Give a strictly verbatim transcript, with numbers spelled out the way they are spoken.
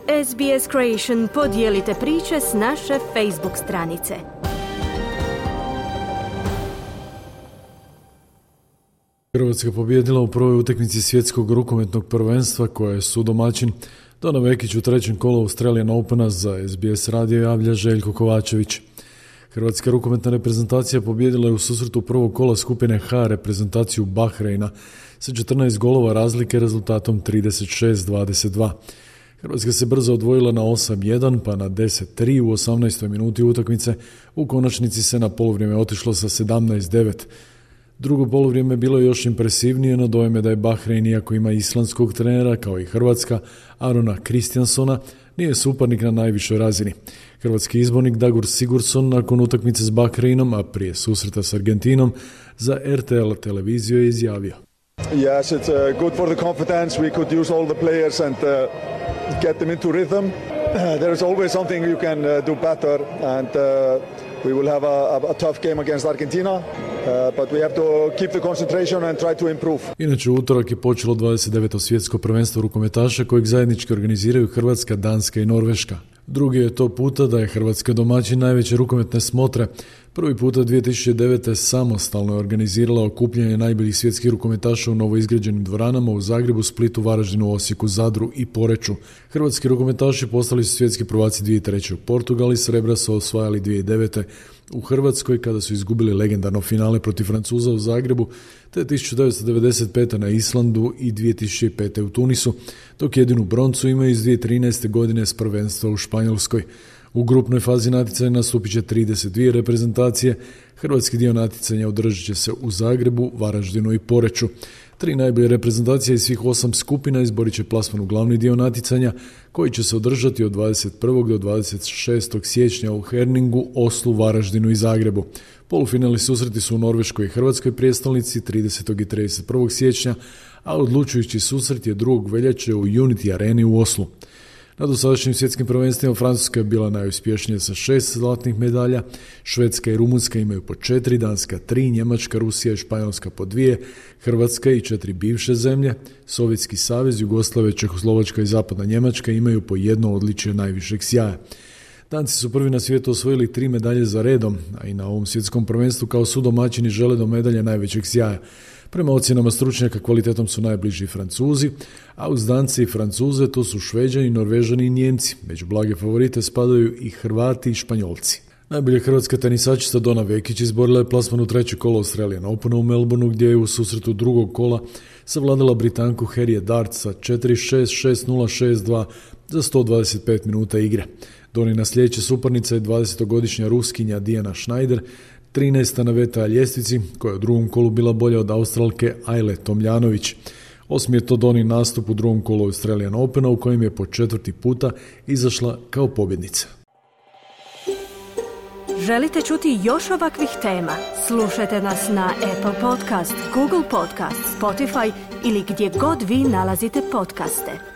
S B S Creation podijelite priče s naše Facebook stranice. Hrvatska pobijedila u prvoj utakmici svjetskog rukometnog prvenstva koje je sudomaćin. Dona Vekić u trećem kolu Australian Opena za S B S radio javlja Željko Kovačević. Hrvatska rukometna reprezentacija pobijedila je u susretu prvog kola skupine H reprezentaciju Bahreina sa četrnaest golova razlike rezultatom trideset šest dvadeset dva. Hrvatska se brzo odvojila na osam jedan pa na deset tri u osamnaestoj minuti utakmice. U konačnici se na poluvrijeme otišlo sa sedamnaest devet. Drugo poluvrijeme bilo je još impresivnije, no dojem je da je Bahrein, iako ima islandskog trenera kao i Hrvatska, Arona Kristjansona, nije suparnik na najvišoj razini. Hrvatski izbornik Dagur Sigurdsson nakon utakmice s Bahreinom, a prije susreta s Argentinom, za R T L televiziju je izjavio: Yes, it's uh, good for the confidence. We could use all the players and uh, get them into rhythm. Uh, there is always something you can uh, do better, and uh, we will have a, a, a tough game against Argentina, uh, but we have to keep the concentration and try to improve. Inače, u utorak je počelo dvadeset deveto svjetsko prvenstvo rukometaša kojeg zajednički organiziraju Hrvatska, Danska i Norveška. Drugi je to puta da je Hrvatska domaćin najveće rukometne smotre. Prvi puta dvije tisuće devete. samostalno je organizirala okupljanje najboljih svjetskih rukometaša u novoizgrađenim dvoranama u Zagrebu, Splitu, Varaždinu, Osijeku, Zadru i Poreču. Hrvatski rukometaši postali su svjetski prvaci dvije tisuće treće. u Portugali, srebra su osvajali dvije tisuće devete. u Hrvatskoj kada su izgubili legendarno finale protiv Francuza u Zagrebu, te tisuću devetsto devedeset pete. na Islandu i dvije tisuće pete. u Tunisu, dok jedinu broncu imaju iz dvije tisuće trinaeste. godine s prvenstva u Španjolskoj. U grupnoj fazi natjecanja nastupit će trideset dvije reprezentacije. Hrvatski dio natjecanja održat će se u Zagrebu, Varaždinu i Poreču. Tri najbolje reprezentacije iz svih osam skupina izborit će plasman u glavni dio natjecanja, koji će se održati od dvadeset prvog do dvadeset šestog siječnja u Herningu, Oslu, Varaždinu i Zagrebu. Polufinalni susreti su u Norveškoj i Hrvatskoj prijestolnici tridesetog i trideset prvog siječnja, a odlučujući susret je drugog veljače u Unity Areni u Oslu. Na dosadašnjim svjetskim prvenstvima Francuska je bila najuspješnija sa šest zlatnih medalja, Švedska i Rumunjska imaju po četiri, Danska tri, Njemačka, Rusija i Španjolska po dvije, Hrvatska i četiri bivše zemlje, Sovjetski savez, Jugoslavija, Čehoslovačka i Zapadna Njemačka imaju po jedno odličje najvišeg sjaja. Danci su prvi na svijetu osvojili tri medalje za redom, a i na ovom svjetskom prvenstvu kao sudomaćini žele do medalje najvećeg sjaja. Prema ocjenama stručnjaka kvalitetom su najbliži Francuzi, a uz Dance i Francuze to su Šveđani, Norvežani i Nijemci. Među blage favorite spadaju i Hrvati i Španjolci. Najbolja hrvatska tenisačica Dona Vekić izborila je plasman u treće kolo Australian Opena u Melbourneu, gdje je u susretu drugog kola savladala Britanku Harriet Dart sa četiri šest, šest nula, šest dva za sto dvadeset pet minuta igre. Donina sljedeća suparnica je dvadesetogodišnja Ruskinja Dijana Schneider, trinaesta na W T A ljestvici, koja je u drugom kolu bila bolja od Australke Ajle Tomljanović. Osmi je to Donin nastup u drugom kolu Australian Opena, u kojem je po četvrti puta izašla kao pobjednica. Želite čuti još ovakvih tema? Slušajte nas na Apple Podcast, Google Podcast, Spotify ili gdje god vi nalazite podcaste.